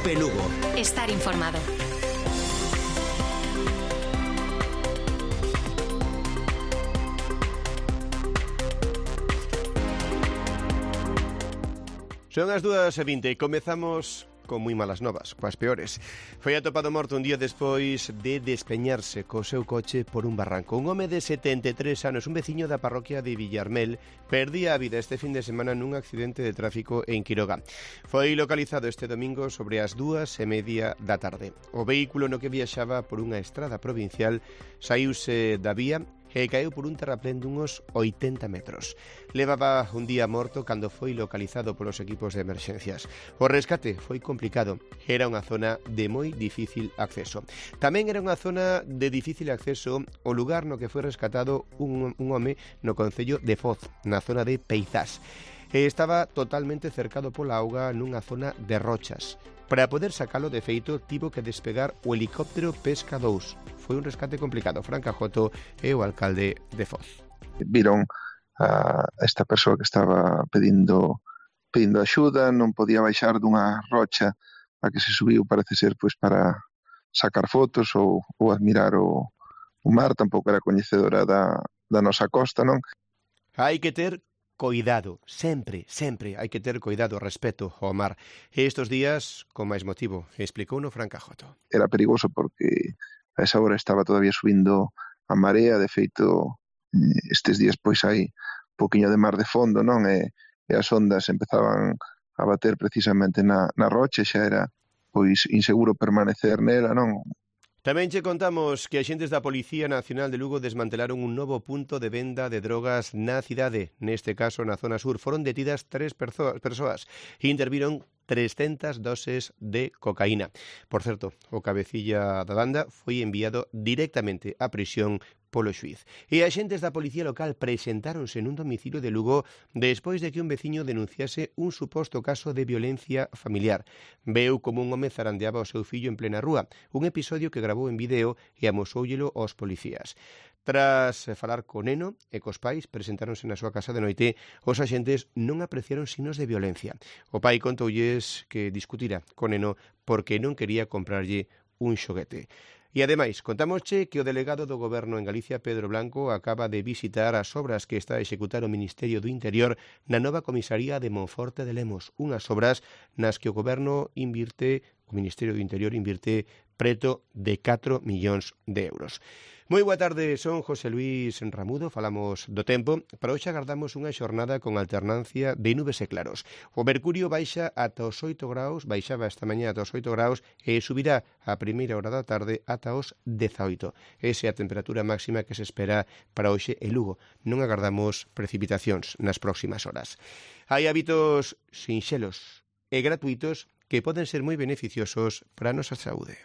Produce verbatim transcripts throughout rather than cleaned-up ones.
Cope Lugo. Estar informado. Son as dúas e vinte e comezamos con moi malas novas, coas peores. Foi atopado morto un día despois de despeñarse co seu coche por un barranco. Un home de setenta e tres anos, un veciño da parroquia de Villarmel, perdía a vida este fin de semana nun accidente de tráfico en Quiroga. Foi localizado este domingo sobre as dúas e media da tarde. O vehículo no que viaxaba por unha estrada provincial saíuse da vía e caeu por un terraplén dunhos oitenta metros. Levaba un día morto cando foi localizado polos equipos de emerxencias. O rescate foi complicado. Era unha zona de moi difícil acceso. Tamén era unha zona de difícil acceso o lugar no que foi rescatado un, un home no concello de Foz, na zona de Peizás. E estaba totalmente cercado pola auga nunha zona de rochas. Para poder sacalo, de feito, tivo que despegar o helicóptero Pesca dous. Foi un rescate complicado. Fran Cajoto é o alcalde de Foz. Viron a esta persoa que estaba pedindo pedindo axuda, non podía baixar dunha rocha a que se subiu, parece ser, pois para sacar fotos ou, ou admirar o, o mar, tampouco era coñecedora da, da nosa costa, non? Hai que ter coidado, sempre, sempre hai que ter coidado, respeto ao mar. E estes días, con máis motivo, explicou no Fran Cajoto. Era perigoso porque a esa hora estaba todavía subindo a marea, de feito, estes días pois hai un poquinho de mar de fondo, non? E, e as ondas empezaban a bater precisamente na, na rocha, xa era pois inseguro permanecer nela, non? Tamén che contamos que axentes da Policía Nacional de Lugo desmantelaron un novo punto de venda de drogas na cidade. Neste caso, na zona sur, foron detidas tres persoas e interviron trescentas doses de cocaína. Por certo, o cabecilla da banda foi enviado directamente á prisión polo xuíz. E axentes da Policía Local presentáronse nun domicilio de Lugo despois de que un veciño denunciase un suposto caso de violencia familiar. Veu como un home zarandeaba o seu fillo en plena rúa, un episodio que gravou en vídeo e amosóullelo aos policías. Tras falar co neno e cos pais, presentáronse na súa casa de noite, os axentes non apreciaron signos de violencia. O pai contoulles que discutira co neno porque non quería comprarlle un xoguete. E, ademais, contámosche que o delegado do Goberno en Galicia, Pedro Blanco, acaba de visitar as obras que está a executar o Ministerio do Interior na nova comisaría de Monforte de Lemos, unhas obras nas que o Goberno invirte, o Ministerio do Interior invirte preto de catro millóns de euros. Moi boa tarde, son José Luis Ramudo, falamos do tempo. Para hoxe agardamos unha xornada con alternancia de nubes e claros. O mercurio baixa ata os oito graus, baixaba esta mañá ata os oito graus e subirá a primeira hora da tarde ata os dezaoito. Esa é a temperatura máxima que se espera para hoxe en Lugo. Non agardamos precipitacións nas próximas horas. Hai hábitos sinxelos e gratuitos que poden ser moi beneficiosos para a nosa saúde.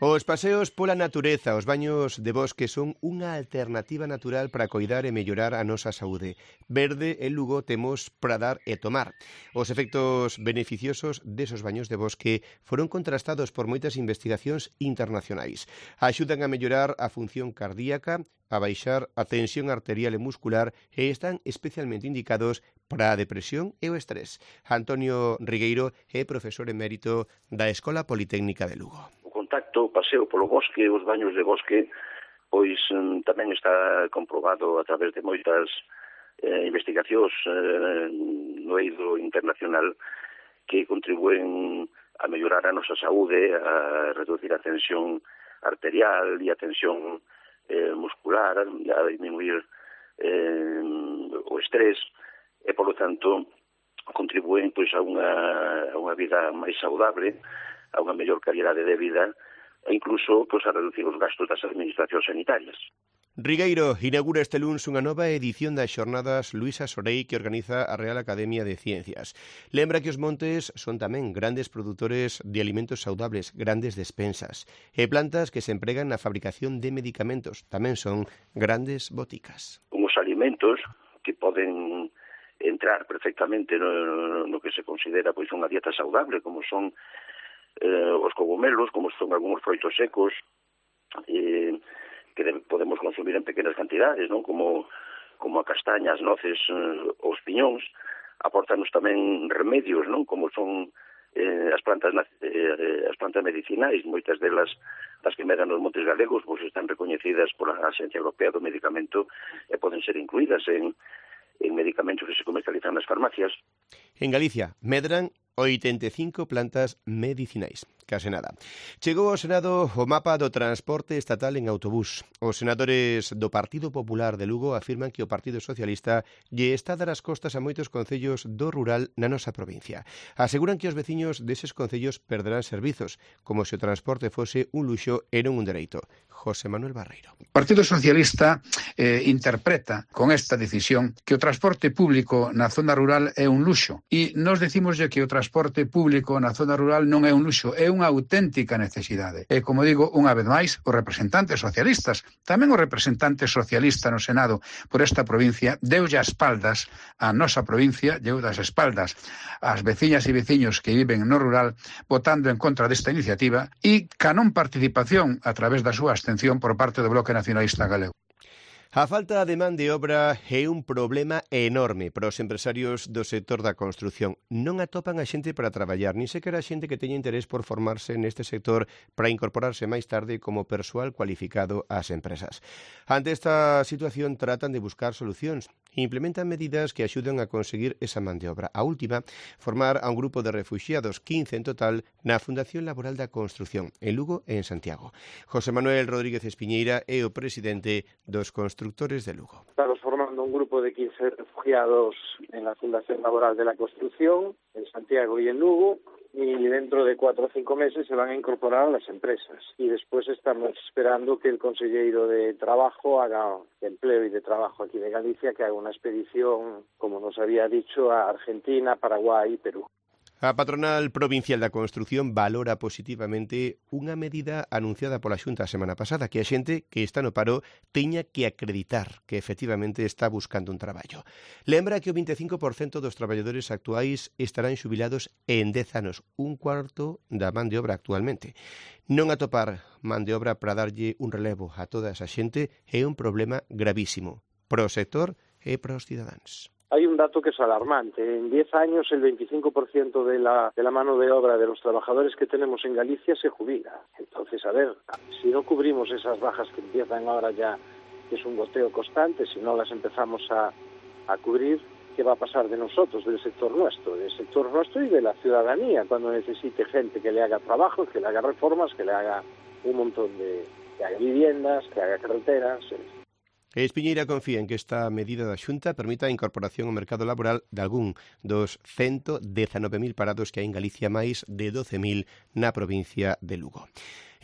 Os paseos pola natureza, os baños de bosque son unha alternativa natural para coidar e mellorar a nosa saúde. Verde en Lugo temos para dar e tomar. Os efectos beneficiosos desos baños de bosque foron contrastados por moitas investigacións internacionais. Axudan a mellorar a función cardíaca, a baixar a tensión arterial e muscular e están especialmente indicados para a depresión e o estrés. Antonio Rigueiro é profesor emérito da Escola Politécnica de Lugo. Contacto, o paseo polo bosque, os baños de bosque, pois tamén está comprobado a través de moitas eh, investigacións eh, no eido internacional que contribúen a mellorar a nosa saúde, a reducir a tensión arterial e a tensión eh, muscular, a disminuir eh, o estrés e, polo tanto, contribúen pois, a, unha, a unha vida máis saudable, a unha mellor calidade de vida e incluso pois, a reducir os gastos das administracións sanitarias. Rigueiro inaugura este luns unha nova edición das xornadas Luisa Sorei que organiza a Real Academia de Ciencias. Lembra que os montes son tamén grandes produtores de alimentos saudables, grandes despensas, e plantas que se empregan na fabricación de medicamentos. Tamén son grandes boticas. Uns alimentos que poden entrar perfectamente no, no que se considera pois unha dieta saudable, como son eh, os cogumelos, como son algúns froitos secos, eh, que de, podemos consumir en pequenas cantidades, non? Como como a castaña, as noces, os piñóns, aportanos tamén remedios, non? Como son eh, as plantas eh, as plantas medicinais, moitas delas das que medan nos montes galegos, pois están recoñecidas pola Axencia Europea do Medicamento e poden ser incluídas en, en medicamentos que se comercializan nas farmacias. En Galicia, medran oitenta e cinco plantas medicinais. Case nada. Chegou ao Senado o mapa do transporte estatal en autobús. Os senadores do Partido Popular de Lugo afirman que o Partido Socialista lle está a dar as costas a moitos concellos do rural na nosa provincia. Aseguran que os veciños deses concellos perderán servizos, como se o transporte fose un luxo e non un dereito. José Manuel Barreiro. O Partido Socialista eh, interpreta con esta decisión que o transporte público na zona rural é un luxo e nos decimoslle que o transporte público na zona rural non é un luxo, é unha auténtica necesidade. E, como digo, unha vez máis, os representantes socialistas, tamén o representante socialista no Senado por esta provincia, deulle as espaldas a nosa provincia, deu das espaldas ás veciñas e veciños que viven no rural, votando en contra desta iniciativa e ca non participación a través da súa abstención por parte do Bloque Nacionalista Galego. A falta de man de obra é un problema enorme para os empresarios do sector da construción. Non atopan a xente para traballar, nin sequera a xente que teña interés por formarse neste sector para incorporarse máis tarde como persoal cualificado ás empresas. Ante esta situación tratan de buscar solucións e implementan medidas que axuden a conseguir esa man de obra. A última, formar a un grupo de refuxiados, quince en total, na Fundación Laboral da Construción, en Lugo e en Santiago. José Manuel Rodríguez Espiñeira é o presidente dos constructores de Lugo. Estamos formando un grupo de quince refugiados en la Fundación Laboral de la Construcción, en Santiago y en Lugo, y dentro de cuatro o cinco meses se van a incorporar a las empresas. Y después estamos esperando que el consejero de Trabajo haga, de Empleo y de Trabajo aquí de Galicia, que haga una expedición, como nos había dicho, a Argentina, Paraguay y Perú. A patronal provincial da construción valora positivamente unha medida anunciada pola Xunta a semana pasada, que a xente que está no paro teña que acreditar que efectivamente está buscando un traballo. Lembra que o vinte e cinco por cento dos traballadores actuais estarán xubilados en dez anos, un cuarto da man de obra actualmente. Non atopar man de obra para darlle un relevo a toda esa xente é un problema gravísimo para o sector e para os cidadáns. Hay un dato que es alarmante. En diez años el veinticinco por ciento de la, de la mano de obra de los trabajadores que tenemos en Galicia se jubila. Entonces, a ver, si no cubrimos esas bajas que empiezan ahora ya, que es un goteo constante, si no las empezamos a, a cubrir, ¿qué va a pasar de nosotros, del sector nuestro, del sector nuestro y de la ciudadanía, cuando necesite gente que le haga trabajos, que le haga reformas, que le haga un montón de, que haga viviendas, que haga carreteras? Espiñeira confía en que esta medida da Xunta permita a incorporación ao mercado laboral de algún dos ciento dezanove mil parados que hai en Galicia, máis de doce mil na provincia de Lugo.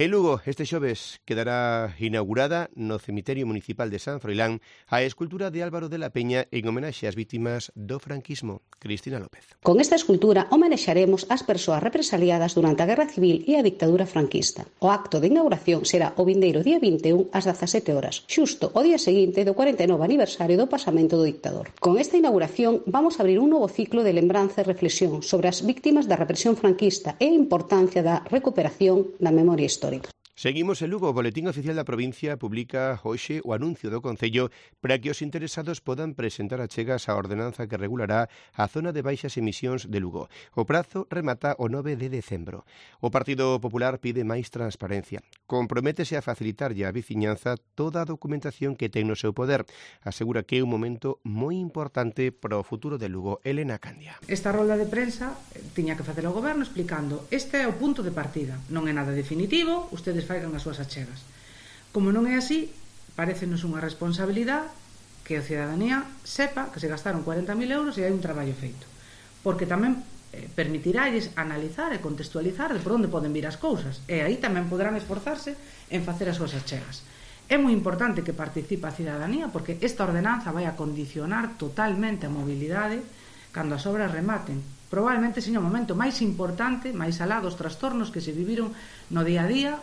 En Lugo, este xoves, quedará inaugurada no cemiterio municipal de San Froilán a escultura de Álvaro de la Peña en homenaxe ás vítimas do franquismo. Cristina López. Con esta escultura homenexaremos ás persoas represaliadas durante a Guerra Civil e a dictadura franquista. O acto de inauguración será o vindeiro día vinte e un ás dezasete horas, xusto o día seguinte do cuarenta e nove aniversario do pasamento do dictador. Con esta inauguración vamos a abrir un novo ciclo de lembranza e reflexión sobre as vítimas da represión franquista e a importancia da recuperación da memoria histórica. Seguimos en Lugo. O Boletín Oficial da Provincia publica hoxe o anuncio do Concello para que os interesados podan presentar achegas á ordenanza que regulará a zona de baixas emisións de Lugo. O prazo remata o nove de decembro. O Partido Popular pide máis transparencia. Comprométese a facilitarlle á veciñanza toda a documentación que ten no seu poder. Asegura que é un momento moi importante para o futuro de Lugo. Elena Candia. Esta rolda de prensa tiña que facer o Goberno explicando este é o punto de partida. Non é nada definitivo, ustedes faigan as súas achegas. Como non é así, parécenos unha responsabilidade que a cidadanía sepa que se gastaron cuarenta mil euros e hai un traballo feito. Porque tamén eh, permitiralles analizar e contextualizar de por onde poden vir as cousas. E aí tamén poderán esforzarse en facer as súas achegas. É moi importante que participe a cidadanía porque esta ordenanza vai a condicionar totalmente a mobilidade cando as obras rematen. Probablemente seña o momento máis importante, máis alá dos trastornos que se viviron no día a día.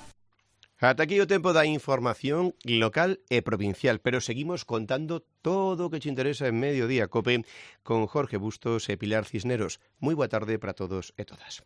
Ata aquí o tempo da información local e provincial, pero seguimos contando todo o que te interesa en Mediodía Cope con Jorge Bustos e Pilar Cisneros. Moi boa tarde para todos e todas.